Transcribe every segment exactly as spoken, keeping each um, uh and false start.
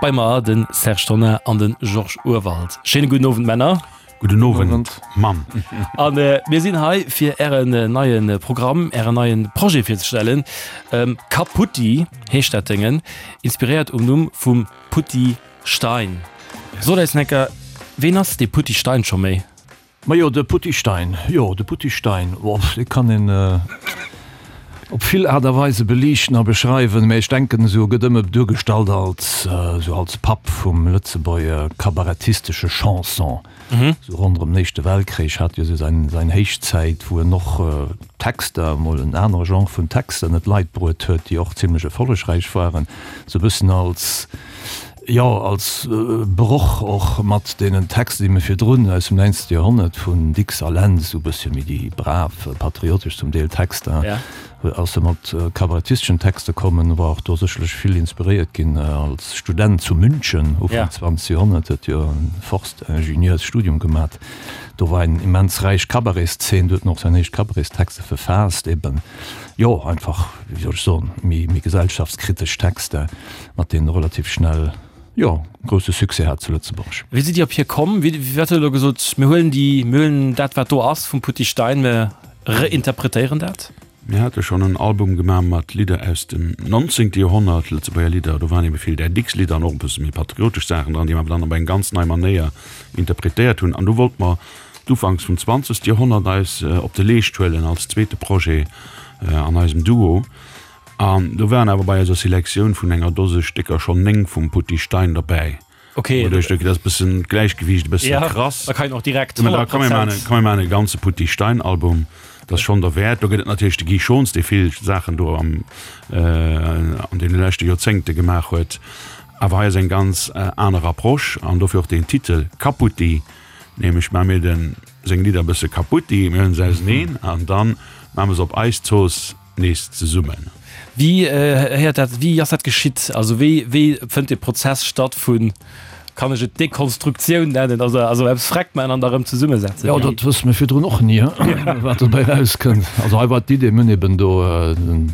Bei mer den Serge Tonnar an den Georges Urwald. Schéine gudden Owend Männer. Gudden Owend Mann. An mir sinn hei fir ären neie Programm, ären neie Projet virzestellen. Kaputti heescht dat Déngen, inspiréiert um Numm vum Putty Stein. Sot eis enker, ween ass dee Putty Stein scho méi? Majo, de Putty Stein, jo, de Putty Stein, oh, dee kann een op vill Aart a Weise beliichten a beschreiwen, mä ech denken, esou e gëtt ëmmer duergestallt als esou als Papp vum Lëtzebuerger kabarettistesche Chanson. Esou ronderëm den Éischte Weltkrich hat jo esou säin säin Héichzäit, wou en och Texter, emol en anere Genre vun Texter, net Leit bruet huet, déi och zimlech erfollegräich waren, esou e bëssen als, jo, als Broch och mat deenen Texter, déi mir virdrun aus dem näinzte Joerhonnert vun Dicks a Lentz, esou e bëssche méi déi brav, patriotesch zum Deel Texter, ass e mat kabarettisteschen Texter kommen, war och do sécherlech vill inspiréiert ginn als Student zu München, Ufank zwanzegt Joerhonnert, huet jo e Forstingenieursstudium gemat. Do war eng immens räich Cabaretszeen, do huet en och säin éischt Cabaretstexter verfaasst, eben, jo, einfach, wéi soll ech soen, méi, méi gesellschaftskritesch Texter, mat deenen e relativ schnell, jo, grousse Succès hat zu Lëtzebuerg. Wéi sidd Dir op hie komm? Wéi, wat huet Der elo gesot, mir huelen déi, mir huelen dat, wat do ass vum Putty Stein, mir reinterpretéieren dat? Mir hate schonn en Album gemaach mat Lidder aus dem nonzéngte Joerhonnert, Lëtzebuerger Lidder. Do waren ebe vill där Dicks-Lidder an och e bësse méi patriotesch Saachen dran, déi mer awer dann op eng ganz nei Manéier interpretéiert hunn. An du wollte mer d'Ufanks vum zwanzegste Joerhonnert eis op de Leescht huelen als zweete Projet an eisem Duo. An do waren awer bei eiser Selektioun vun enger Dose Stécker schonn néng vum Putty Stein derbäi. Okay. Wouduerch dat ass bëssen d'Gläichgewiicht e bëssen ja, krass. Da kann een och direkt Da komm mir maachen, komm mir maachen e ganze Putty Stein Album. Dat ass schonn derwäert. Do gëtt et natierlech de Guy Schons, dee vill Saachen do am an deene leschte Joerzéngte gemaach huet. Awer hei ass eng ganz aner Approche an dofir och deen Titel Kaputti, nämlech maache mir dem seng Lidder e bësse kaputti, mir huelen se auseneen an dann maache mer se op eis Zooss nees zesummen. Wéi héiert dat, wéi ass dat geschitt? Also wéi, wéi fënnt dee Prozess statt vun, kann ech et Dekonstruktioun nennen, also, also eppes freck maachen an da rëm zesummesetzen? Jo, dat wësse mir virdrun och ni, wat dobäi erauskënnt. Also hei war d'Idee, mir hunn eben do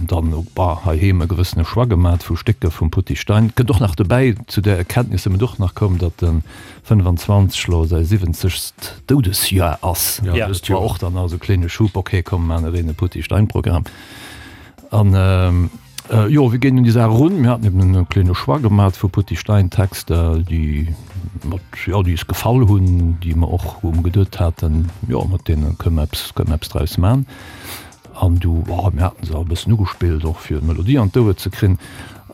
dann bah heiheem e gewëssene Choix gemat vu Stécker vum Putty Stein. Kënnt och nach dobäi, zu där Erkenntnis si mir och nach komm, datt de fënnfanzwanzeg elo säi siwwenzegst Doudesjoer ass. Dat war och dann nach esou e kléine Schub, okay, komm, mir maachen ereen e Putty Stein-Programm. An jo, wéi géing un déi Saach erun? Mir haten eben e kléine Choix gemat vu Putty Stein Texter, déi mat, jo, déi eis gefall hunn, déi mer och, wou mer geduet haten, jo, mat deene kënne mer eppes, kënne mer eppes draus man. An du, oh, mir haten se och e bëssen ugespillt, och fir d'Melodie an d'Ouer ze krin.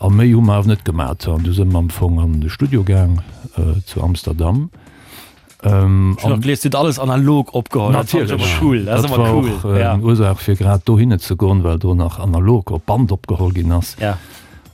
A méi hu mer awer net gemat. An du si mer am Fong an de Studio gaang zu Amsterdam. Ähm, Ech hunn och gelies, Dir hutt alles analog opgeholl. Dat fannen ech Natierlech. ëmmer cool. Dat ass Dat ëmmer war cool. och äh, Ja. eng Ursaach fir grad dohinne ze goen, well do nach analog op Band opgeholl ginn ass. Ja.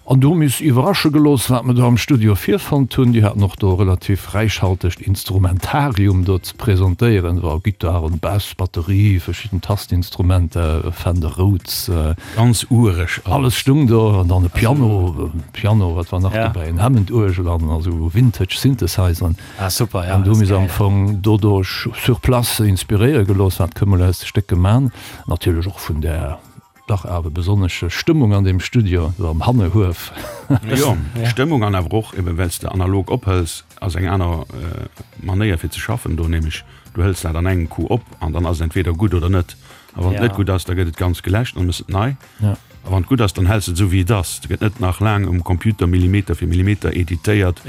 An do hu mir is iwwerrasche gelooss, wat mir do am Studio virfonnt hunn. Déi haten och do e relativ räichhaltegt Instrumentarium do ze presentéieren, war Gittaren, Bass, Batterie, verschidden Tastinstrumenter, Fender Rhodes, Ganz ureg alles alles. stung do an dann e Piano, Piano, wat war nach Ja. dobäi, en Hammond-Uergel an esou Vintage Synthesizern. Ah, super, ja, An do dat hu ass mir se am geil. Fong doduerch sur place inspiréiere gelooss, wat kënne mer aus de Stéck man. Natierlech och vun där dach awer besonnesche Stëmmung an deem Studio do am Hannehuef. Jo, Stëmmung an awer och eben, well s de analog ophëls, ass eng aner Manéier fir ze schaffen do, nämlech du hëls dat an engem Coup op an dann ass et entweder gutt oder net. A wann et net gutt ass, da gëtt et ganz geläscht an da méchs et nei. A wann et gutt ass, dann häls de et esou wéi et ass. Et gëtt net nach laang um Computer Millimeter fir Millimeter editéiert,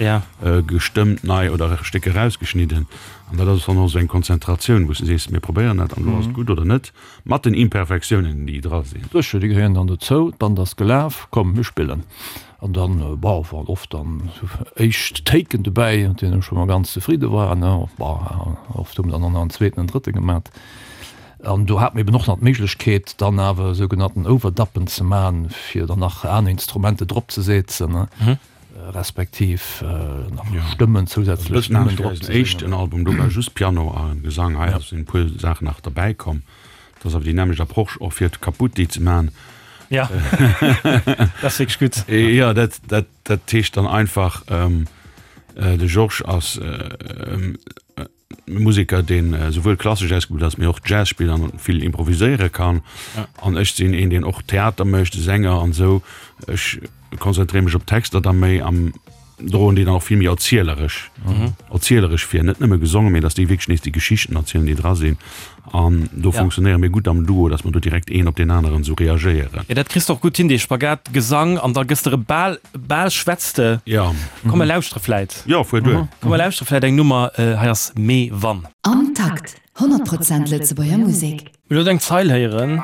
gestëmmt nei oder Stécker erausgeschnidden. An dat ass dann och esou eng Konzentratioun, wou s de sees, mir probéieren dat an elo ass et gutt oder net, mat den Imperfektiounen, déi dra sinn. Sécher, déi gehéieren dann dozou. D'Band ass gelaf, komm mir spillen. An dann, bon, waren oft dann éischt Taken dobäi, mat deenen ech scho mol ganz zefridde war. Bon, oft hu mer dann och nach en zweeten, en drëtte gemat. An do hat mer eben och nach d'Méiglechkeet, dann awer sougenannten Overduppen ze man, fir dann nach aner Instrumenter drop ze setzen, respektiv nach Stëmmen, zousätzlech Stëmmen drop ze singen. Éischten Album, do war just Piano a Gesang, hei sinn e puer Saachen nach derbäi komm. Dat ass awer déi nämmlecht Approche och fir d'Kaputti ze man. Ja, dat ass wierklech gutt. Jo, dat, dat, dat heescht dann einfach, de Georges ass Museker, deen esouwuel klassesch ausgebilt ass, mee och Jazz spillt an vill improviséiere kann. An ech sinn een, deen och Theater mécht, Sänger an esou. Ech konzentréiere mech op d'Texter da méi an droen déi dann och vill méi erzieleresch, erzieleresch vir, net nëmme gesongen, mee dass déi wierklech nees déi Geschichten erzielen, déi dra sinn. An do funktionéiere mir gutt am Duo, dass mer do direkt een op deen aneren esou reagéieren. Jo, dat kriss de och gutt hin, dee Spagat Gesang an da gëss de erëm bal, bal schwätz de. Jo. Komm mer lauschtere vläit. Jo, fuer duer. Komm mer lauschtere vläit eng Nummer, hei ass Mee wann. Am Takt, honnert Prozent Lëtzebuerger Musek. Mir elo eng Zeil héieren.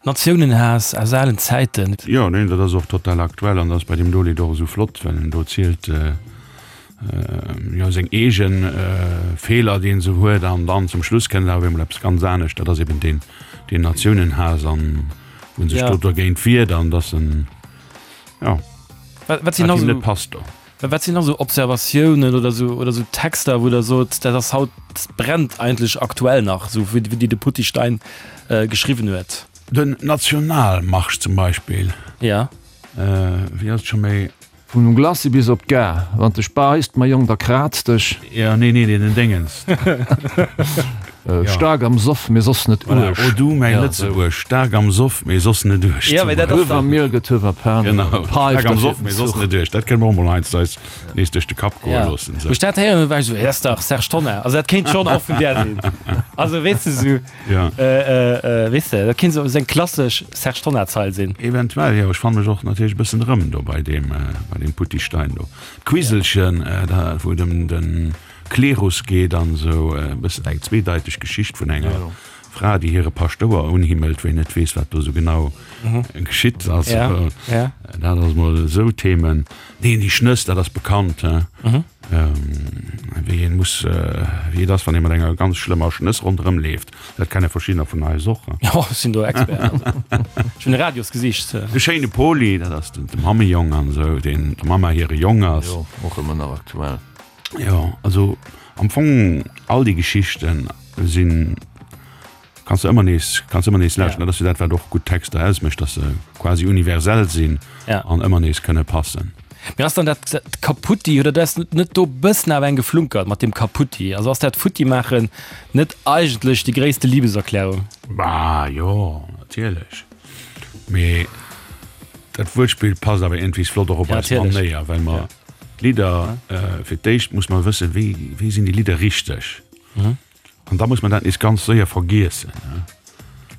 Natiounenhaass aus alen Zäiten. Jo, neen, dat ass och total aktuell an dat ass bei deem do Lidd och esou flott, well en do zielt, jo, seng eege Feeler, déi en esou huet an dann zum Schluss kënnt awer emol eppes ganz anescht, dat ass eben deen, deen Natiounenhaass an wou en sech do dergéint wiert an dass en, jo, wat him net passt do. Wat sinn nach esou Observatiounen oder esou oder esou Texter, wou Der sot, dat ass haut, dat brennt eigentlech aktuell nach, esou wéi déi de Putty Stein geschriwwen huet? Den Nationalmarsch zum Beispill. Ja. Wéi ass et scho méi? Vum Glacis bis op d'Gare. Wann dech beisst, mäi Jong, da kraz dech. Jo, nee, nee, den Déngens. Staark am Soff, mee soss net uerg. O du mäi Lëtzebuerg, staark am Soff, mee soss net uerg. Ja, mee dat ass Huewer Miel gëtt Huewer Pan. Genau, staark am Soff, mee soss net uerg. Dat kënne mer och mol heiansdo eis nees duerch de Kapp goe loossen. Wou ech dat héieren hunn, war ech esou, dat ass dach Serge Tonnar. Also dat kéint schonn och vun där sinn. Also weess de esou, weess de, dat kéint esou eng klassesch Serge Tonnar-Zeil sinn. Eventuell, jo. Ech fanne mech och natierlech e bëssen erëm do bei deem, bei deem Putty Stein do. D'Quiselchen, da wou et ëm de Klerus geet an esou, e bëssen eng zweedeiteg Geschicht vun enger Fra, déi hire Paschtouer unhimmelt, wou een net weess, wat do esou genau geschitt. Also dat ass mol esou Themen. Neen, déi Schnëss, dat ass bekannt, he, wéi een muss, wéi et ass, wann ee mat enger ganz schlëmmer Schnëss ronderëm leeft. Dat kenne verschiddener vun eis och. Jo, ech sinn do Expert. Ech hunn e Radiosgesicht. De schéine Poli, dat ass de Mammejong an esou, deen der Mamma hire Jong ass. Jo, och ëmmer nach aktuell. Jo, also am Fong all déi Geschichten sinn, kanns de ëmmer nees, kanns ëmmer nees lauschteren. Dat ass jo dat, wat och gutt Texter ausmécht, dass se quasi universell sinn an ëmmer nees kënne passen. Mee ass dann dat Kaputti, oder dat ass net do bëssen awer eng geflunkert mat deem Kaputti? Also ass dat Futtimaachen net eigentlech déi gréisste Liebeserklärung? Bah jo, natierlech. Mee dat Wuertspill passt awer iergendwéis flott och op eis Manéier, well mer d'Lidder, fir d'éischt muss mer wëssen, wéi, wéi sinn déi Lidder richteg? An da muss mer dat nees ganz séier vergiessen.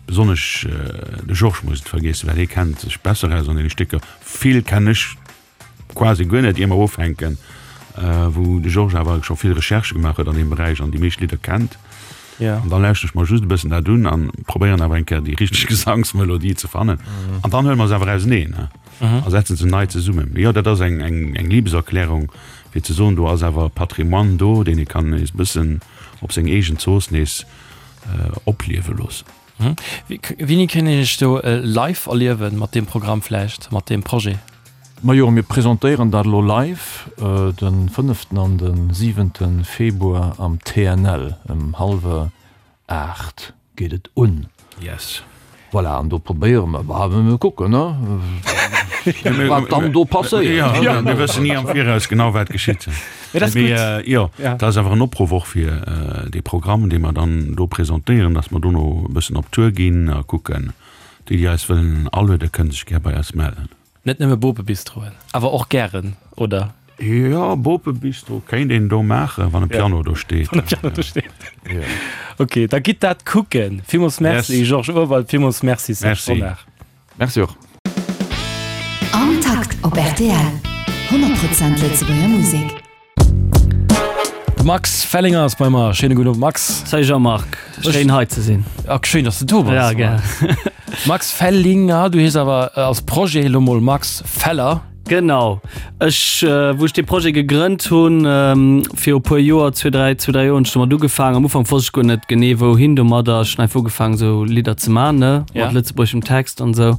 Besonnesch de Georges muss et vergiessen, well hie kennt sech besser aus an deene Stécker. Vill kennen ech quasi guer net, ier mer ufänken, wou de Georges awer scho vill Recherchë gemaach huet an deem Beräich an déi meescht Lidder kennt. An dann lauschteren ech mer just e bëssen dat un an probéieren awer eng Kéier déi richteg Gesangsmelodie ze fannen. An dann huele mer se awer auseneen a setzen se nei zesummen. Mee jo, dat ass eng, eng, eng Liebeserklärung, fir ze soen, do ass awer Patrimoine do, deen ee kann nees e bëssen op seng eegen Zooss nees opliewe loossen. Wéini kéint een Iech do live erliewen mat deem Programm vläicht, mat deem Projet? Majo, mir presentéieren dat elo live de fënneften an de siwente Februar am T N L. Ëm hallwer aacht geet et un. Yes. Voilà, an do probéiere mer, bah, mir kucken, ne, wat dann do passéiert. Jo, mir wëssen ni am Viraus genau, wat geschitt. Mee dat ass gutt. Jo, dat ass awer en Opruff och fir dee Programm, dee mer dann do presentéieren, dass mer dono e bëssen op Tour ginn a kucken. Déi, déi eis wëllen alueden, kënne sech gär bei eis mellen. Net nëmme Bopebistroen, awer och gären, oder? Jo, Bopebistro kéint een do maachen, wann e Piano do steet. Wann e Piano do steet. Ok, da gitt dat kucken. Villmools Merci, Georges Urwald. Villmools Merci, Serge Tonnar. Merci och. Am Takt op R T L, honnert Prozent Lëtzebuerger Musek. De Max Fellinger ass bei mer. Schéine gudden Owend, Max. Salut Jean-Marc, schéin hei ze sinn. Ah, schéin, dass de do bass. Ja, gär. Max Fellinger, du hees awer als Projet elo mol Max Feller. Genau. Ech, wou ech dee Projet gegrënnt hunn, viru puer Joer, zwee, dräi, zwee, dräi Joer hunn ech domat ugefaangen. Am Ufank wosst ech guer net genee wouhin domadder. Ech hunn einfach ugefaangen esou Lidder ze man, ne, mat lëtzebuergeschem Text an esou.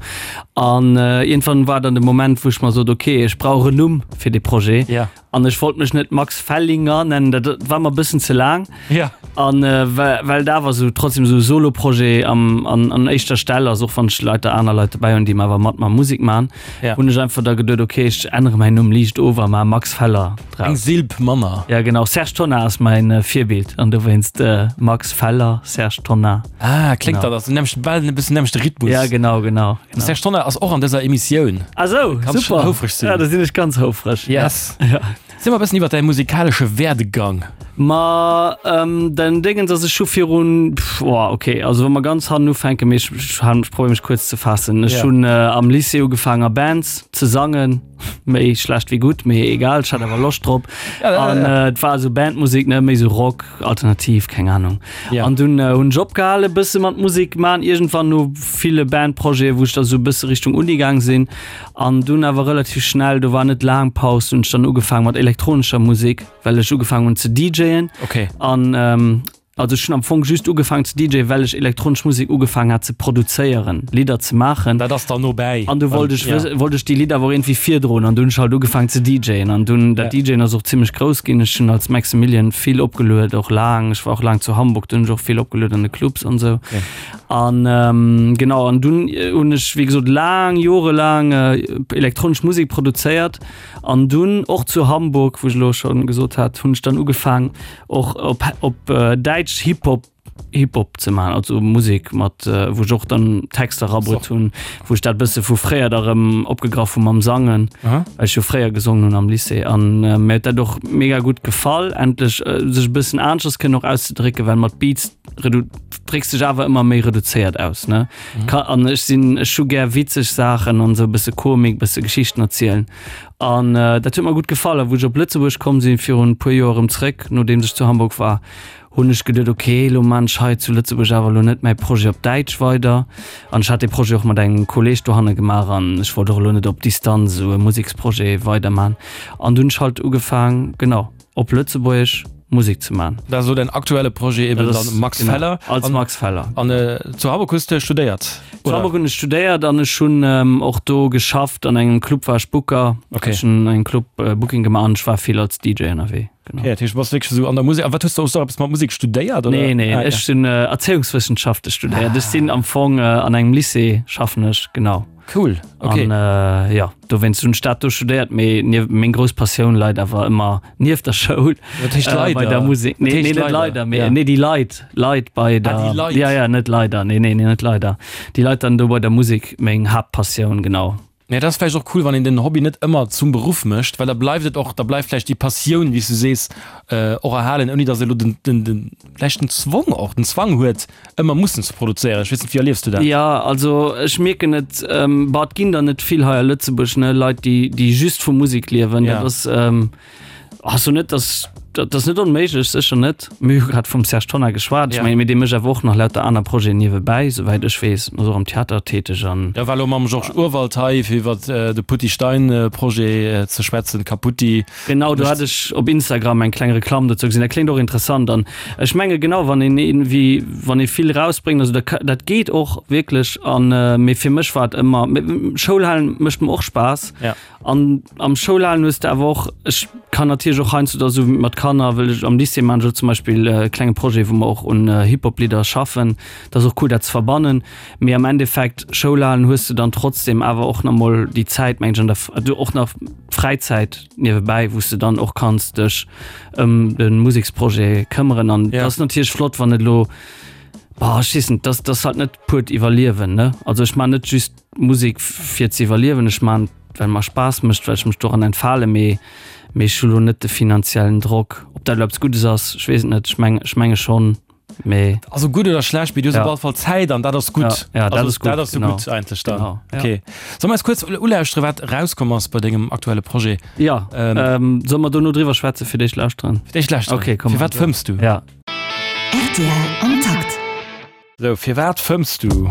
An iergendwann war dann de Moment, wou ech mer sot, ok, ech brauch en Numm fir dee Projet. Ja. An ech wollt mech net Max Fellinger nennen, dat war mer e bëssen ze laang. Ja. An äh, well, well dat awer sou trotzdem sou Solo-Projet am, an, an éischter Stell ass, och wann ech Leit, aner Leit dobäi hunn, déi awer mat mer Musek man, Ja. hunn ech einfach da geduet, okay, ech ännere mäin Numm liicht of a ma Max Feller Eng draus. Silb manner. Ja genau, Serge Tonnar ass mäin äh, Virbild an dowéinst äh, Max Feller, Serge Tonnar. Ah, kléngt Genau. dat ass nämlech bal e bëssen nämlechte Rhythmus. Ja genau, genau. De genau. Serge Tonnar ass och an dëser Emissioun. Ah sou, Kanns super. houfreg sinn. Ja, da sinn ech ganz houfreg. Yes. Ja. Erziel mer e bëssen iwwer däi musikalesche Werdegang. Ma ähm, den Dingens ass ech scho virun pff, oh, okay, also wa mer ganz hannen ufänken, mee ech, ech, ech probéier mech kuerz ze faassen. Ech Ja. hunn äh, am Lycée ugefaangen a Bands ze sangen, méi schlecht wéi gutt, mee egal, ech hat awer Loscht drop. Ja, ja, An ja. äh, et war esou Bandmusik, ne, méi sou Rock, alternativ, keng Ahnung. Ja. An dunn äh, hunn ech opgehale bësse mat Musik man, iergendwann no ville Bandprojete, wou ech da sou bësse Richtung Uni gaang sinn. An dunn awer relativ schnell, do war net laang Paus, hunn ech dann ugefaangen mat elektronescher Musik, well ech ugefaangen hunn ze DJen. Okay. An ähm, also ech hunn am Fong just ugefaangen ze DJen, well ech elektronesch Musik ugefaangen hat ze produzéieren, Lidder ze maachen. Dat ass dann no bäi. An du wollt ech, Ja. ja. wollt ech déi Lidder awer irgendwie virdroen an dunn hunn ech halt ugefaangen ze DJen an dunn dat Ja. DJen ass och zimmlech grouss ginn. Ech hunn als Maximilian vill opgeluet, och laang. Ech war och laang zu Hamburg, do hunn ech och vill opgeluet an de Clubs an sou. Okay. An ähm, genau an dunn äh, hunn ech wéi gesot laang jorelaang äh, elektronesch Musek produzéiert an dunn och zu Hamburg, wou ech elo schonn gesot hat, hunn ech dann ugefaangen och op, op äh, Däitsch Hip-Hop Hip-Hop ze man, also Musek mat äh, wou ech och dann Texter rabruet hunn, wou ech dat bësse vu fréier da rëm opgegraff hunn mam Sangen, Aha. well ech jo fréier gesongen hunn am Lycée an äh, mir huet dat och mega gutt gefall, endlech äh, sech e bëssen aneschters kënnen och auszedrécken, well mat Beats redu drécks dech awer ëmmer méi reduzéiert aus, ne? Mhm. Ka an ech sinn ech hu gär witzeg Saachen an sou bësse Komik, bësse Geschichten erzielen an äh, dat huet mer gutt gefall a wou ech op Lëtzebuerg komm sinn virun e puer Joer erëm zréck, nodeems ech zu Hamburg war, hunn ech geduet, ok, elo man ech hei zu Lëtzebuerg awer elo net mäi Projet op Däitsch weider. An ech hat dee Projet och mat engem Kolleg dohanne gemaach an ech wollt och elo net op Distanz esou e Museksprojet weiderman. An dunn hunn ech halt ugefaang, genau, op Lëtzebuergesch Musek ze man. Dat ass elo däin aktuelle Projet eben Dat ass, dann Max genau, Feller. als An, Max Feller. an äh, zu Hamburg hues de studéiert, Zu oder? Hamburg hunn ech studéiert an ech hunn ähm, och do geschafft an engem Club war ech Booker. Okay. Ech hunn engem Club äh, Booking gemaach an ech war vill als D J ënnerwee. Genau. Okay, dat heescht, du bass wierklech esou an der Musek. A wat hues du, hues du och eppes mat Musek studéiert, oder? Nee, nee, Ah, ja. ech hunn äh, Erzéiungswëssenschafte studéiert. Ech sinn am Fong äh, an engem Lycée schaffen ech, genau. Cool, okay. An äh, ja, dowéinst hunn ech dat do studéiert, mee nief, meng grouss Passioun leit awer ëmmer nieft der Schoul. Wat heescht Äh, bei leider? der Musek. Wat Nee, heescht nee, net leider? leider, mee Ja. nee, déi Leit, Leit bei Ah, der déi Leit. Ja, ja, net leider, nee, nee, nee, net leider. Déi Leit dann do bei der Musek, meng Haaptpassioun, genau. Nee, dat ass vläicht och cool, wann een den Hobby net ëmmer zum Beruff mécht, well da bleift et och, da bleift vläicht déi Passioun, wéi s du sees, äh, och erhalen, ouni datt ee lo den, den, den, vläicht den Zwong och, den Zwang huet, ëmmer mussen ze produzéieren. Ech weess net, wéi erliefs du dat? Ja, also ech mierken et, ähm, bah, et ginn der net vill hei a Lëtzebuerg, ne, Leit, déi, déi just vu Musek liewen. Ja. Dat ass, ähm, also net, dass, dat ass net onméiglech, sécher net. Mir hu grad vum Serge Tonnar geschwat. Ech Ja. mengen, mee dee mécht awer och nach lauter aner Projeten niewebäi, souwäit ech weess. Ass och am Theater täteg an. Ja, war elo mam Georges Urwald hei, fir iwwer de Putty Stein Projet ze schwätzen, Kaputti. Genau, do hat ech op Instagram eng kleng Reklamm dozou gesinn. Dat kléngt och interessant an ech menge genau, wann een irgendwie, wann ee vill rausbréngt, also dat, dat geet och wierklech an, mee fir mech war et ëmmer, Schoul halen mécht mer och Spaass. Ja. An am Schoulhalen hues de awer och, ech kann natierlech och heiansdo da sou mat Kanner, wëll ech am Lycée maan ech och zum Beispill e klenge Projet, wou mer och un Hip-Hop-Lidder schaffen. Dat ass och cool, dat ze verbannen. Mee am Endeffekt, Schoulhalen hues de dann trotzdem awer och nach mol déi Zäit, meng ech, an der, du och nach Fräizäit niewebäi, wou s de dann och kanns dech ëm de Museksprojet këmmeren. An Ja. dat ass natierlech flott, wann et elo, boah, ech weess net, dat ass halt net puert Iwwerliewen, ne? Also ech maan net just Musek fir ze iwwerliewen, ech maan well mer Spaass mécht, well ech mech doran entfale, mee mee ech hu lo net de finanziellen Drock. Ob dat elo eppes Guddes ass, ech weess et net, ech meng ech menge schonn, mee. Also gutt oder schlecht, mee du hues Ja. op alle Fall Zäit an dat ass gutt. Ja, ja, dat Also ass gutt, dat ass jo genau. gutt eigentlech dann. Genau, ja. Okay. Solle mer eis kuerz ulauschteren, wat erauskomm ass bei dengem aktuelle Projet? Ja, Ähm, ähm, solle mer dono driwwer schwätzen, fir d'éischt lauschteren? Fir d'éischt lauschteren. Okay, komm. Firwat fëmms du? Ja. R T L am Takt. Sou, firwat fëmms du?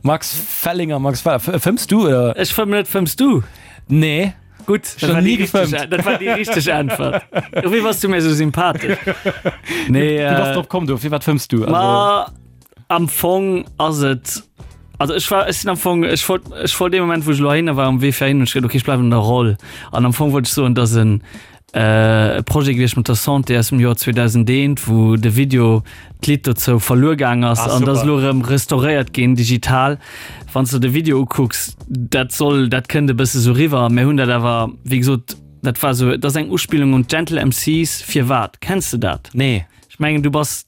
Max Fellinger, Max Feller, fëmms du oder? Ech fëmmen net, fëmms du? Nee. Gutt, dat war déi richteg- dat war déi richteg Äntwert. Dofir bass du mir esou sympathesch. Nee, Du bass drop komm, du, firwat fëmms du? Ma am Fong ass et, Also ech war ech sinn am Fong ech wollt ech wollt dee Moment wou ech elo heihinner war um Wee fir heihin hunn ech geduet okay ech bleiwen an der Roll an am Fong wollt ech soen dass en e Projet gewiescht mat der Santé aus dem Joer zweedausendeent wou de Video d'Lidd dozou verluer gaang ass Ah, an dat ass super. elo erëm restauréiert ginn digital. Wann s de de Video ukucks dat soll dat kënnt e bësse sou riwwer. Mir hunn dat awer wéi gesot dat war sou dat ass eng Uspillung un d'Gentle MCs. Firwat? Kenns de dat? Nee. Ech mengen du bass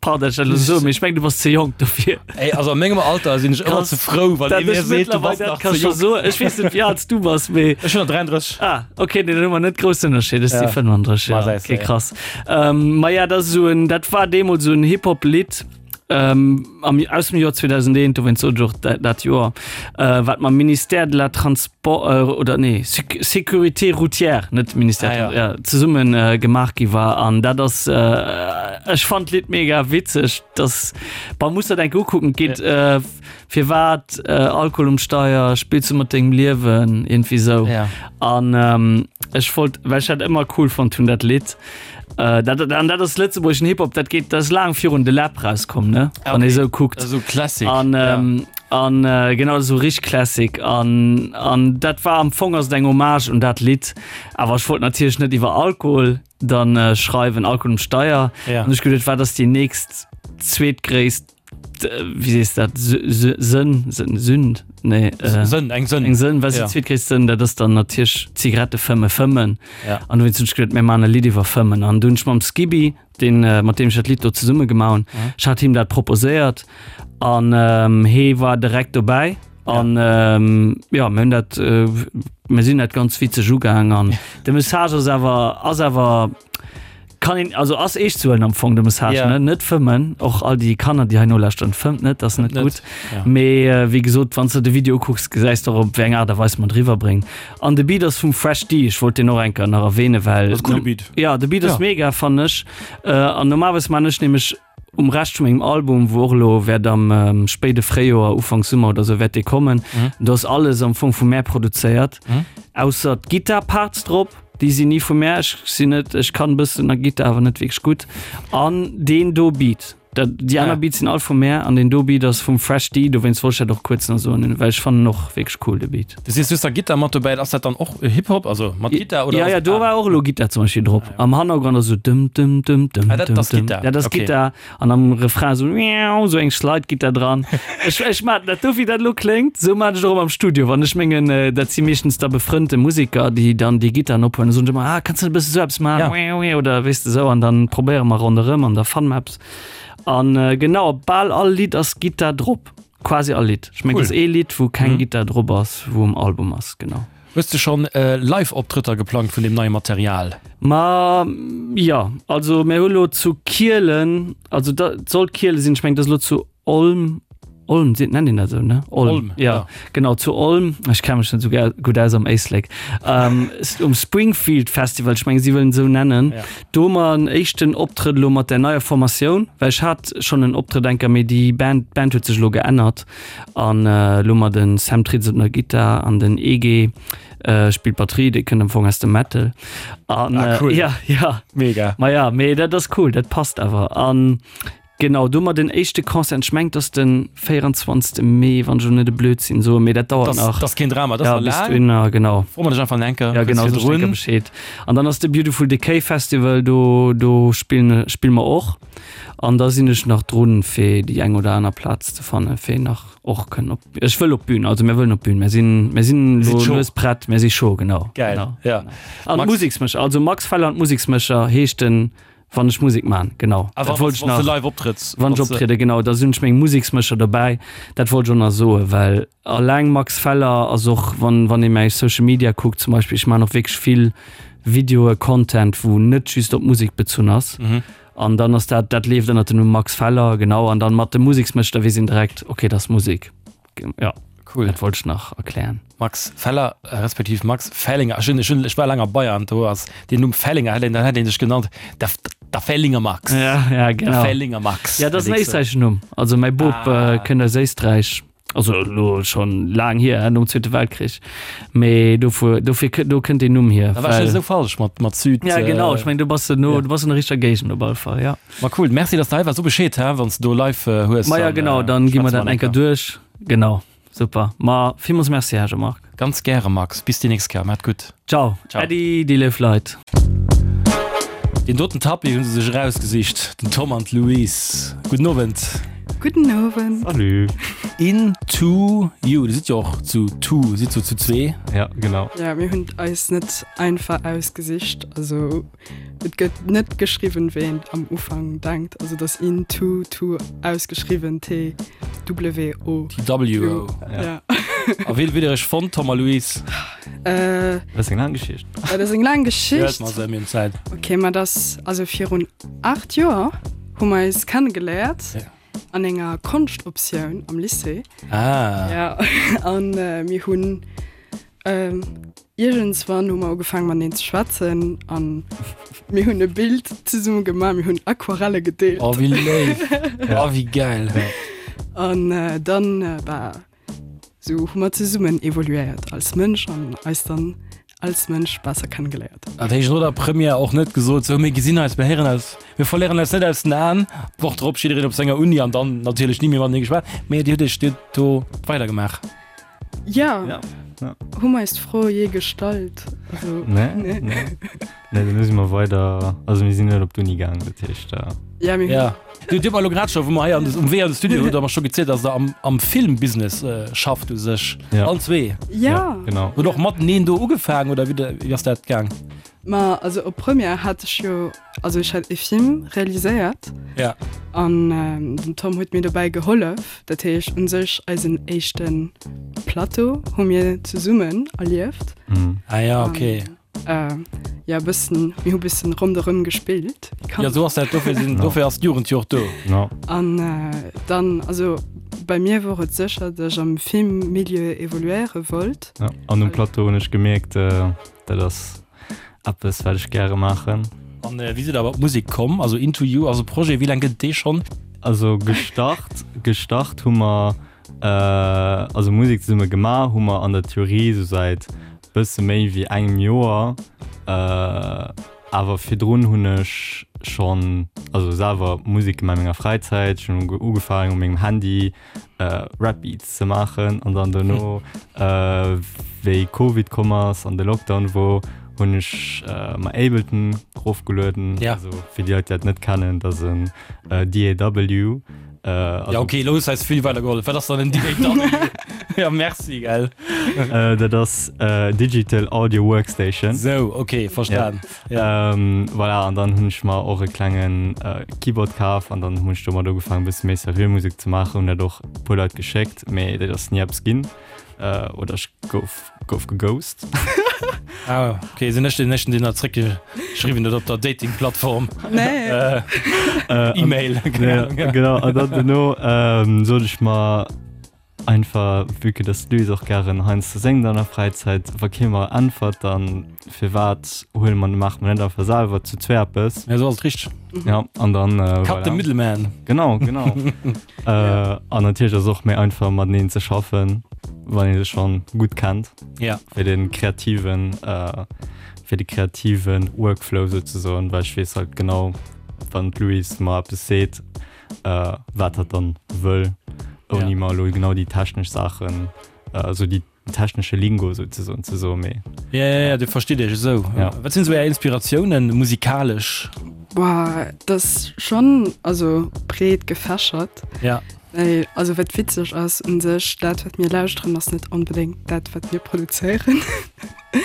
pardon, dat ech dat elo soen, mee ech mengen du bass ze jonk dofir. Ey, also a mengem Alter sinn ech ëmmer Krass. ze frou, wann Dat ee mir ech seet, du bass mittlerweil dat nach ka ze scho jonk. soen. Ech weess net wéi al s du bass, mee Ech hunn der dräianddrësseg. Ah, okay, nee, dann hu mer net groussen Ënnerscheed. Ech si Ja. fënnwanddrësseg, Ma ja. säis Okay, de, ja. krass. Ähm, ma ja, dat ass esou en, dat war deemools esou en Hip-Hop-Lidd, ähm, am, aus dem Joer zweedausendeent, dowéinst sot ech och dat, dat Joer, äh, wat mam Ministère de la Transport, äh, oder nee, Séc Sécurité routière, net Ministère, Ah, ja. ja, zesummen äh, gemaach gi war. An dat ass, äh, ech fand d'Lidd mega witzeg, dass, man muss dat enk ukucken, geet, ja. äh, firwat äh, Alkohol um Steier, spills du mat dengem Liewen, irgendwie sou. Ja. An ähm, ech wollt, well ech dat ëmmer cool fonnt hunn, dat Lidd. Äh, dat, an dat ass lëtzebuergeschen Hip-Hop, dat geet, dat ass laang virun de Läb rauskomm, ne? Ah, Wann ee okay. sou kuckt. Also Classic. An, ähm, an äh, genau sou richteg Classic. An, an dat war am Fong ass et eng Hommage un dat Lidd. Awer ech wollt natierlech net iwwer Alkohol dann äh, schreiwen, Alkohol um Steier. Ja. An ech geduet, wat ass déi nächst zweetgréisst wéi sees dat Sënn Sënn Sünd nee äh, Sënn eng Sënn eng Sënn was ja. zweetgréisst Sënn dat ass dann natierlech Zigarette fëmme fëmmen ja. an du hunn ech geduet mir man e Lidd iwwer fëmmen an dunn ech mam Skibi den äh, mat deem ech dat Lidd do zesumme gemaach hunn Mhm. ech hat him dat proposéiert an ähm, hee war direkt dobäi an ja, ähm, ja mir hunn dat äh, mir sinn dat ganz witzeg ugaang an de Message ass awer ass awer kann een also ass eescht ze huelen am Fong de Message Ja. ne net fëmmen och all déi Kanner déi hei nolauschteren fëmmt net dat ass net Net, gutt ja. mee äh, wéi gesot wann s de de Video ukucks gesäis de och op wéi eng Aart a Weis mer et riwwerbréngen an de Beat ass vum Fresh D ech wollt deen och eng Kéier nach erwähne well Das coole Beat. ja de Beat ass Ja. mega fannen ech äh, an normalerweis man ech nämlech um Rescht vun mengem Album wou och elo wäert am ähm, spéide Fréijoer Ufank Summer oder sou wäert dee kommen Mhm. do ass alles am Fong vu mär produzéiert Mhm. ausser d'Gittar-Parts drop déi sinn ni vu mär ech sinn net ech kann e bëssen a Gittar awer net wierklech gutt an deen do Beat dat déi aner Ah. Beats sinn all vu mär an deen do Beat ass vum Fresh D dowéinst wollt ech dat och kuerz nach soen well ech fannen och wierklech cool de Beat. Du sees just da Gittar mat dobäi ass dat dann och Hip-Hop also mat Gittar oder Ja ass ja et do aner? war och elo Gittar zum Beispill drop Ah, ja. am Hannergrond ass sou dum dum dum dum Ah, dat dum ass dum Gittar ja dat ass okay. Gittar an am Refrain sou miau sou eng Slide-Gittar dran ech ech mat dat do wéi dat elo kléngt sou maan ech och ëmmer am Studio wann ech mengen dat si meeschtens da befrënnte Museker déi dann déi Gittaren ophuelen da soen se ëmmer ah kanns du net e bësse sou eppes maachen Ja. miau oder weess de sou an dann probéiere mer ronderëm an da fanne mer eppes an genau op bal all Lidd ass Gittar drop quasi all Lidd ech mengen Cool. et ass ee Lidd wou keng Mhm. Gittar drop ass wou um Album ass genau. Hues de schonn Live-Optrëtter geplangt vun deem neie Material? Ma jo, also mir hu lo zu Kielen, also dat sollt Kiele sinn, ech mengen dat ass lo zu Olm, Olm seet, nennt een dat esou, ne? Olm, Olm, ja, ja. Genau, zu Olm, ech kenne mech net esou gär, gutt aus am Éislek, ähm, um Springfield Festival, ech mengen si wëllen esou nennen, Ja. do hu mer en éischten Optrëtt elo mat der neier Formatioun, well ech hat schonn en Optrëtt eng Kéier, mee déi Band, d'Band huet sech elo geännert an elo hu mer den Sam Tritz op der Gittar an den E G spillt Batterie, dee kënnt am Fong aus dem Metal an Ah, cool. ja, ja. Mega. Ma ja, mee dat ass cool, dat passt awer an genau, do hu mer den éischte Concert, ech mengen, dat ass den véierundzwanzegste Mee, wann ech elo net e Blödsinn soen, mee dat dauert Das, nach. das ass keen Drama, dat Ja, ass nach bis laang. dohinner, genau. Fro mer dech einfach eng Kéier Ja, kuerz genau, soen ech eng Kéier virdrun. Bescheed. An dann ass de Beautiful Decay Festival, do, do spillen, spille mer och. An da sinn ech nach drun, fir déi eng oder aner Plaz ze fannen, fir nach och kënnen op, ech wëll op d'Bün, also mir wëllen op d'Bün, mir sinn, mir sinn Sidd lo chaud. lues prett, mir si chaud, genau. Geil, Genau. ja. An Max- d'Museksmécher, also Max Feller an d'Museksmécher heescht den, wann ech Musek man, genau. Ah, Dat wann wollt ech wann s de nach, live optrëtts. wann ech Wann s de- optriede, genau, da sinn ech meng Museksmécher dobäi. Dat wollt ech och nach soen, well alleng Max Feller ass och, wann, wann ee mäi Social Media kuckt zum Beispill, ech man och wierklech vill Videoe, Content, wou net just op Musek bezunn ass. Mhm. An dann ass dat, dat leeft ënnert dem Numm Max Feller, genau, an dann mat de Museksmécher, da weess een direkt, okay, dat ass Musek. Ja. Cool. Dat wollt ech nach erklären. Max Feller, respektiv Max Fellinger. Ech hunn, ech hunn, ech war laang a Bayern, do ass deen Numm Fellinger, hätt een, dann hätt een dech genannt, der, der Fellinger Max. Ja, ja, Der genau. Fellinger Max. Ja, dat ass en hätt ik gesot. éisträicheschen Numm. Also mäi Bop Ah. äh, kënnt aus Éisträich. Also elo schonn laang hier, nom Zweete Weltkrich. Mee dofir, dofir, do kënnt deen Numm hier. Da war ech net esou falsch mat, mat Süd. Ja, genau. Ech meng, du bass no, ja. du bass an der richteger Géigend op alle Fall, ja. Ma cool, merci, dass du hei waars. So Bescheed, hä, wann s du do live äh, hues. Ma ja, dann, genau, äh, dann gi mer schwätze dat mer eng Kéier eng Kéier. duerch. Genau, super. Ma villmools Merci, Här Jean-Marc. Ganz gäre, Max. Bis déi nächst Kéier. Maacht gutt. Ciao. Ciao. Äddi, déi léif Leit. Deen doten Tapis hu se sech erausgesicht, den Tom an d'Louise. Gudden Owend. Gudden Owend. Salut. In two you. Dir sidd jo och zu two, sidd so zu zwee. Ja, genau. Ja, mir hunn eis net einfach ausgesicht. Also et gëtt net geschriwwen, wéi een am Ufank denkt. Also et ass in two, two ausgeschriwwen, T W O. T W O. Ja. A wéi hutt Dir iech fonnt, Tom a Louise? Äh, Dat ass eng laang Geschicht. Dat ass eng laang Geschicht. Huelt mer se, mir hunn Zäit. Okay, ma dat also virun aacht Joer hu mer eis kennegeléiert. Ja. An enger Konschtoptioun am Lycée. Ah. Ja, an äh, mir hunn ähm, iergendswann hu mer ugefaangen mateneen ze schwätzen an mir hunn e Bild zesumme gemaach, mir hunn Aquarelle gedeelt. Oh, wéi léif. Ja. Oh, wéi geil. An äh, dann äh, bah, sou hu mer zesummen evoluéiert als Mënsch an eis dann als Mënsch besser kennegeléiert. Dat heescht no der Première och net gesot, sou mir gesinn eis, mir héieren eis, mir verléieren eis net aus den Aen. D'Woch drop jiddereen op senger Uni an dann natierlech ni méi matenee geschwat. Mee dir hutt iech dir hutt do weidergemaach. Ja. Ja. Ja. Hu mer eis d'Fro jee gestallt? Also, Nee, nee. nee. Nee, dann si mer weider, also mir sinn net op d'Uni gaangen, dat heescht. Ja, mir hunn. Ja. Du, dir hutt mer elo grad scho, wou mer hei an, um Wee an de Studio, hutt der mer scho gezielt, dass der am, am Filmbusiness schafft u sech. Ja. Allen zwee. Ja. Genau. Hutt och mateneen do ugefaangen oder wéi, wéi ass dat gaang? Ma also op Première hat ech jo, also ech hat e Film realiséiert. Ja. An den Tom huet mir dobäi gehollef. Dat heescht un sech eisen éischte Plateau hu mir zesummen erlieft. Mhm. Ah ja, okay. An, äh, ja, bëssen, mir hu bëssen ronderëm gespillt. Ja, sou ass dat, dofir sinn, dofir ass d'Jugend jo och do. No. An äh, dann, also bei mir wor et sécher, datt ech am Filmmilieu evoluéiere wollt. Ja. An um Plateau hunn ech gemierkt, äh, dat ass eppes, wat ech gäre maachen. An äh, wéi sidd der awer op d'Musek komm? Also Into You ass e Projet, wéi laang gëtt et dee schonn? Also gestart, gestart hu mer, äh, also Musek zesumme gemaach hu mer an der Theorie sou säit bësse méi wéi engem Joer. Äh, awer virdrun hunn ech schonn, also selwer Musek gemaach a menger Fräizäit. Ech hunn ugefaangen u mengem Handy äh, Rap Beats ze maachen an dann dono, äh, wéi Covid komm ass an de Lockdown wor, hunn ech äh, mer Ableton erofgelueden. Ja. Also fir déi Leit, déi dat net kennen, dat ass en äh, D A W. Äh, also, Ja, okay, lo hues eis vill weidergehollef. Wat ass dann en D A W? Ja, merci, gell. Äh, dat ass äh, Digital Audio Workstation. Sou, okay, verstan. Ja. Ähm, voilà, an dann hunn ech mer och e klengen äh, Keyboard kaf an dann hunn ech domat ugefaangen, e bësse méi seriö Musek ze maachen, hunn dat och e puer Leit geschéckt, mee dat ass ni eppes ginn. Äh, oder ech gouf, gouf geghost. Ah, okay, sinn ech den éischten, deen dat zréckgeschriwwen huet op der Dating-Plattform? Nee. Äh, Äh, E-Mail. Ja, genau, an dann dono ähm, sot ech mer einfach, vue que dass d'Louise och gären heiansdo séngt an der Fräizäit, wa kee mer äntwert, dann firwat huele mer, maache mer net einfach selwer zu zwee eppes. Ja, sou ass et richteg. Ja, an dann äh, Cut the voilà. middleman. Genau, genau. äh, an natierlech ass och méi einfach mateneen ze schaffen, wann ee sech schonn gutt kennt. Ja. Fir den kreativen, äh, fir de kreativen Workflow souzesoen, well ech weess halt genau, wann d'Louise mer eppes seet, äh, wat hatt dann wëll, ouni Ja. mer elo genau déi technesch Saachen, äh, also déi technesche Lingo souzesoen ze soen, mee. Ja, ja, ja, dir verstitt iech esou. Ja. Wat sinn esou är Inspiratiounen musikalesch? Boah, dat ass schonn, also breet gefächert. Ja. Well, also wat witzeg ass un sech, dat wat mir lauschteren ass net onbedéngt dat wat mir produzéieren.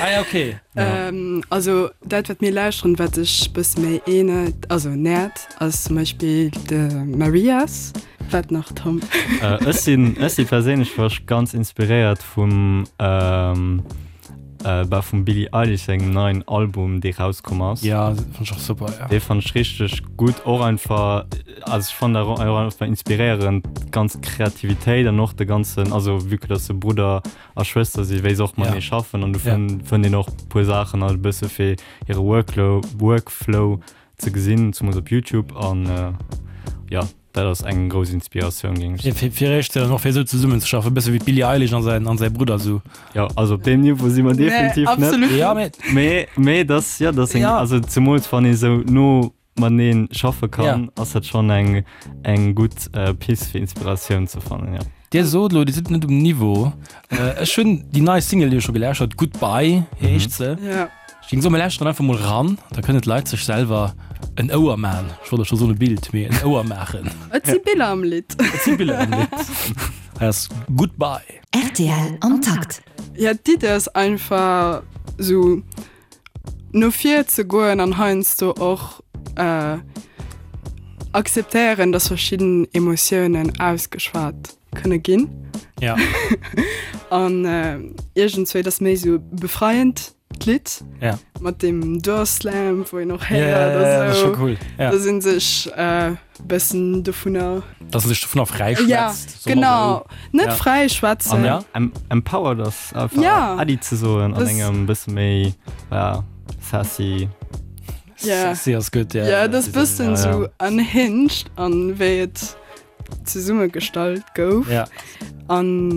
Ah ja, okay. Ja. Ähm, also dat wat mir lauschteren, wat sech bësse méi ähnelt, also nähert, ass zum Beispill de Marias. Wat nach, Tom? Äh, ech sinn, ech si perséinlech war ech ganz inspiréiert vum, ähm, äh, bah, vum Billie Eilish sengem neien Album, dee rauskomm ass. Ja, fand ich och super, ja. Dee fand ech richteg gutt, och einfach, also ech fand dat och einfach inspiréierend, d'ganz Kreativitéit an och de ganzen, also vue que dass se Brudder a Schwëster si, wéi se och matenee Ja. schaffen an du Ja. fënn, fënnt een och puer Saachen halt e bësse fir hire Worklow, Workflow ze gesinn, zumools op YouTube an äh, ja. Dat ass eng grouss Inspiratioun, géing ech Fir, fir, fir iech dann och fir esou zesummen ze schaffen, e bësse wéi d'Billie Eilish an säin, an säi Brudder esou. Jo, also op deem Niveau si mer definitiv nee, net. absolut Ja, mee. Mee, mee dass, ja, dass eng, Ja. also zemools wann ee sou no mateneen schaffe kann, Ja. ass dat schonn eng, eng gutt äh, Pist fir Inspiratioun ze fannen, ja. Dir sot elo, Dir sidd net um Niveau. Ech hunn déi nei Single jo scho gelauschtert, Goodbye heescht se. Ja. Ech géing soen, mir lauschteren einfach mol ran, da kënnen d'Leit sech selwer en Ouer man. Ech wollt elo scho soen e Bild, mee en Ouer maachen. Et si Biller am Lidd. Et si Biller am Lidd. Hei ass Goodbye. Rtl am Takt. Ja, d'Idee ass einfach sou no vir ze goen an heiansdo och akzeptéieren, dass verschidden Emotiounen ausgeschwat kënne ginn. Ja. An iergendzwéi, dat ass méi sou befreiend d'Lidd. Ja. Mat deem Door Slam, wou een och héiert. Ja, ja, ja, dat ass scho cool. Ja. Dass ee sech e bëssen dovunner. Dass ee sech dovunner fräischwätzt. Ja, genau. Net fräischwätzen. Ja. Empowered ass einfach ja. Äddi ze soen an engem bësse méi, ja, sassy. Ja. Sassy ass gutt, ja. Ja, dat ass bëssen sou unhinged an wéi et zesummegestallt gouf. Ja. An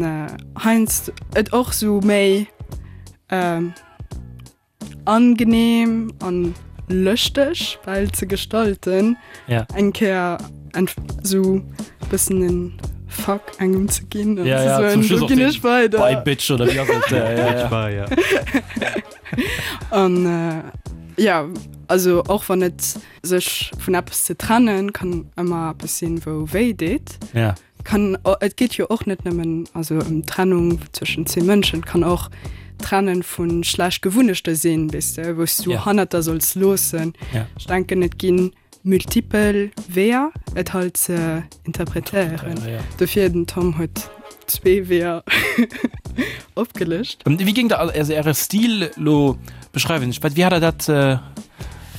heiansdo et och sou méi angenehm an lëschteg bal ze gestalten. Ja. Eng Kéier sou bëssen en Fuck engem ze ginn an ja, ze ja, soen, zum Schluss do och ginn den ech weider. Bye Bitch oder wéi ass et? Ja, ja, ja. Bye, ja. An äh, ja, also och wann et sech vun eppes ze trennen, kann ëmmer eppes sinn, wou wéi deet. Ja. Kann, et geet jo och net nëmmen also ëm Trennung zwëschen zwee Mënschen, et kann och Trennen vu schlecht Gewunnechte sinn, weess de, wou s du Ja. hannert der solls loossen. Ja. Ech denken, et ginn multipel Weeër, et halt ze interpretéieren. Ja, ja. Dofir, den Tom huet zwee Weeër opgelëscht. Wéi géingt der also Äre Stil lo beschreiwen? Ech, wéi hat der dat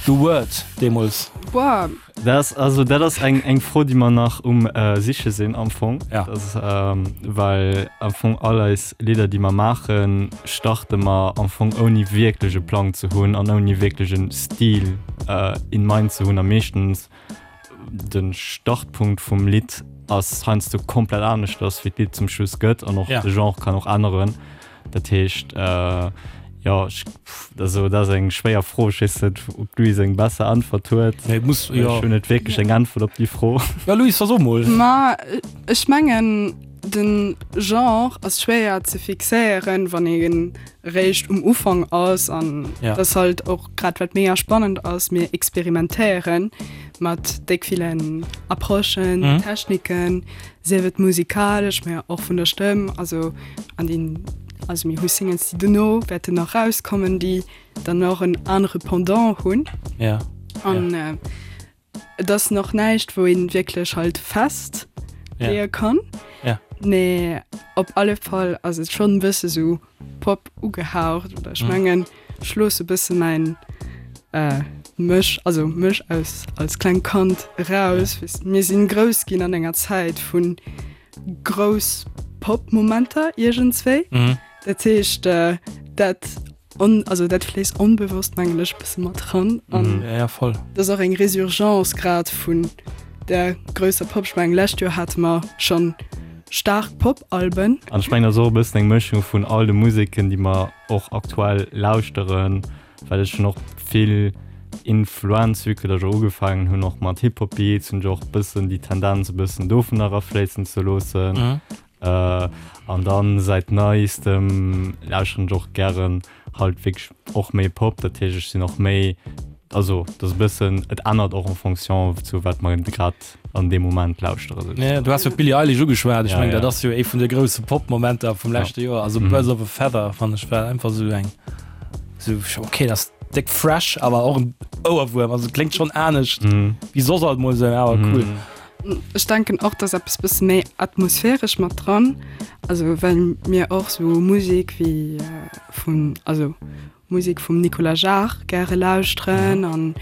geword deemools? Boah. Dat ass, also dat ass eng, eng Fro, déi mer nach um siche sinn am Fong. Ja. Dat ass, well am Fong all eis Lidder, déi mer maachen, starte mer am Fong ouni wierklech e Plang ze hunn an ouni wierklech e Stil in mind ze hunn. A meeschtens de Startpunkt vum Lidd ass heiansdo komplett aneschters, wéi d'Lidd zum Schluss gëtt an och Ja. de Genre kann och änneren. Dat heescht, jo, ech, also dat ass eng schwéier Fro. Ech weess net, ob d'Louise eng besser Äntwert huet. Nee, muss, jo. Ech hunn net wierklech eng Äntwert op déi Fro. Ja, Louise, da so mol. Ma ech mengen, de Genre ass schwéier ze fixéieren, wann ee réischt um Ufank ass an Ja. dat ass halt och grad wat mega spannend ass, mir experimentéieren mat déck villen Approchen, Mhm. Techniken, sief et musikalesch, mä och vun der Stëmm, also an den, also mir hu Singles, déi dono wäerten nach rauskommen, déi dann och en anere Pendant hunn. Ja. An Ja. et ass nach näischt, wou een wierklech halt fest Ja. leeë kann. Ja. Mee op alle Fall ass et schonn e bësse sou Pop ugehaucht oder ech Mhm. mengen, ech loosse e bësse mäin äh, mech, also mech aus als klengt Kand eraus. Ja. Weess, mir sinn grouss ginn an enger Zäit vun grouss Pop-Momenter iergendswéi. Mhm. Dat heescht, äh, dat on, also dat fléisst onbewosst mengen ech e bësse mat ran an Mhm. Ja, ja, voll. dat ass och eng Resurgence grad vun der grousser Pop. Ech mengen, lescht Joer hate mer schonn staark Pop-Alben. An ech mengen, dat ass och e bëssen eng Mëschung vun all de Museken, déi mer och aktuell lauschteren, well ech hunn och vill Influenz, vue que datt ech och ugefaangen hunn och mat Hip-Hop-Beats, hunn ech och e bëssen déi Tendenz e bëssen dovunner erafléissen ze loossen. Mhm. An dann säit neistem lauschteren ech och gären halt wierklech och méi Pop, dat heescht ech sinn och méi, also dat ass e bëssen, et ännert och en fonction zu wat mer grad an deem Moment lauschteren Ja, souzesoen. du has jo d'Billie Eilish ugeschwat, ech Ja, mengen ja. dat ass jo ee vun de grousse Pop-Momenter vum Ja. leschte Joer, also Mhm. Birds of a Feather fannen ech war einfach sou eng, sou okay dat ass déck fresh, awer och en Ouerwuerm, also et kléngt schonn anescht Mhm. wéi soss alt mol sou, awer cool. Mhm. Ech denken och, dass eppes bësse méi atmosphäresch mat dran, also well mir och sou Musek wéi vun, also Musek vum Nicolas Jaar gäre lauschteren an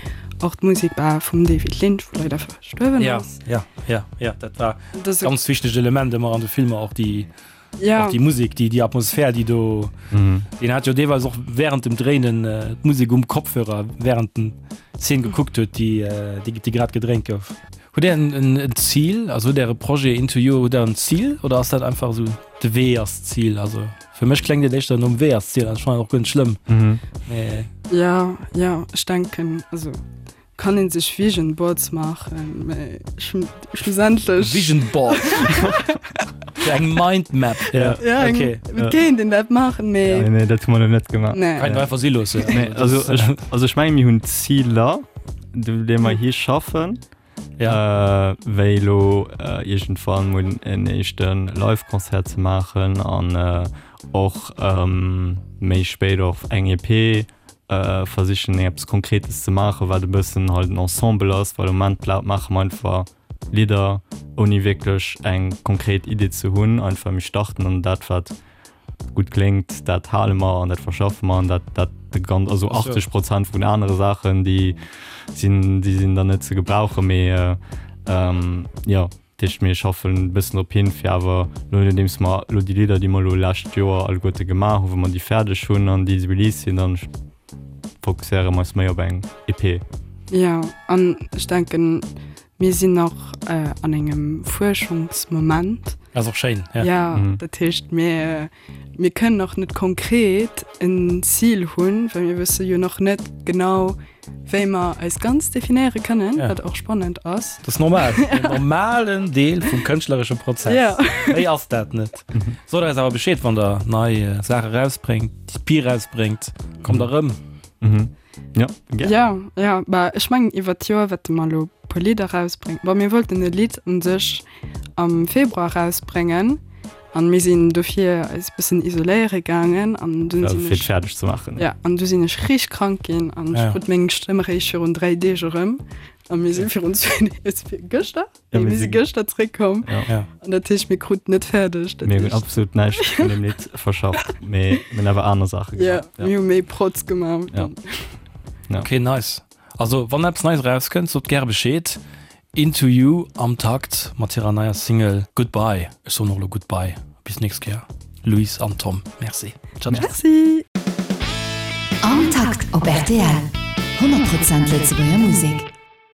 och d'Musek bah vum David Lynch, wou leider verstuerwen ass. Ja, ja, ja, ja, dat war Dat ganz wichtegt Element ëmmer an de Filmer, och déi, ja. och déi Musek, déi, déi Atmosphär, déi do, Mhm. deen hat jo deelweis och während dem Dréinen d'Musek um Kopfhörer während den Szenen gekuckt huet, déi, déi, déi grad gedréint gouf. Hutt Där en, en Zil, also hutt Äre Projet Into You, hutt Der en Zil oder ass dat einfach esou, de Wee ass d'Zil? Also fir mech kléngt et éischter nom Wee ass d'Zil, an ech fannen et och guer net schlëmm. Mhm. Mee. Ja, ja, ech denken, also Kann een sech Vision Boards maachen, mee schlussendlech. Vision Board Fir eng Mind Map. Ja, ja eng, okay. Et kéint een dat maachen, mee. Nee, nee, dat hu mer nach net gemaach. Nee. Kann een einfach si loossen. Nee, also ech, also ech menge mir hunn Ziler, do déi mer hi schaffen. Ja. Äh, wéi elo äh, iergendwann mol en éischte Live-Concert ze maachen an äh, och ähm, méi spéit och eng EP. Versichen eppes Konkretes ze maachen, wat e bëssen halt en Ensemble ass, well am Moment maache mer einfach Lidder ouni wierklech eng konkret Idee ze hunn. Einfach mir starten an dat wat gutt kléngt, dat hale mer an dat verschaffe mer an dat dat de ganz also achtzeg Prozent vun anere Saachen déi sinn déi sinn dann net ze gebrauchen, mee jo. Dat heescht, mir schaffen e bëssen drop hin, fir awer elo, nodeems mer elo déi Lidder, déi mer elo lescht Joer alleguerte gemaach hunn, wa mer déi fäerdeg hunn an déi released sinn, dann fokusséiere mer eis méi op eng E P. Jo, an ech denken, mir sinn nach an engem Fuerschungsmoment. Ass och schéin, ja. Jo, dat heescht, mir, mir kënnen nach net konkret en Zil hunn, well mir wësse jo nach net genau, wéi mer eis ganz definéiere kënnen, ja. wat och spannend ass. Dat ass normal, en normalen Deel vum kënschtleresche Prozess. Ja. Méi ass dat net. Sot eis awer Bescheed, wann der nei äh, Saache rausbréngt, d'E P rausbréngt, kommt der rëm. Mhm. Ja, gär. Ja, ja, bah, ech mengen iwwer d'Joer wäerte mer elo e puer Lidder rausbréngen. Bon, mir wollten e Lidd un sech am Februar rausbréngen. An mir sinn dofir eis bëssen isoléiere gaangen an dunn sinn ech. Fir et fäerdeg ze maachen. Ja, an du sinn ech richteg krank ginn an ech krut meng Stëmm eréischt virun dräi Deeg erëm. A mir si virun zwee Deeg, gëschter? Nee, mir si gëschter zréckkomm. Ja. An dat heescht, mir kruten net fäerdeg. Dat Mir hunn absolut näischt vun deem Lidd verschafft, mee mir hunn awer aner Saache gemaach. Ja, mir hu méi Protz gemaach. Ja. Ja. Okay, nice. Also, wann eppes Neies erauskënnt, sot gäre Bescheed. Into You am Takt mat hirer neier Single Goodbye. Ech soen och elo Goodbye. Bis nächst Kéier Louise an Tom. Merci. Ciao ciao. Merci. Am Takt op R T L, honnert Prozent Lëtzebuerger Musek.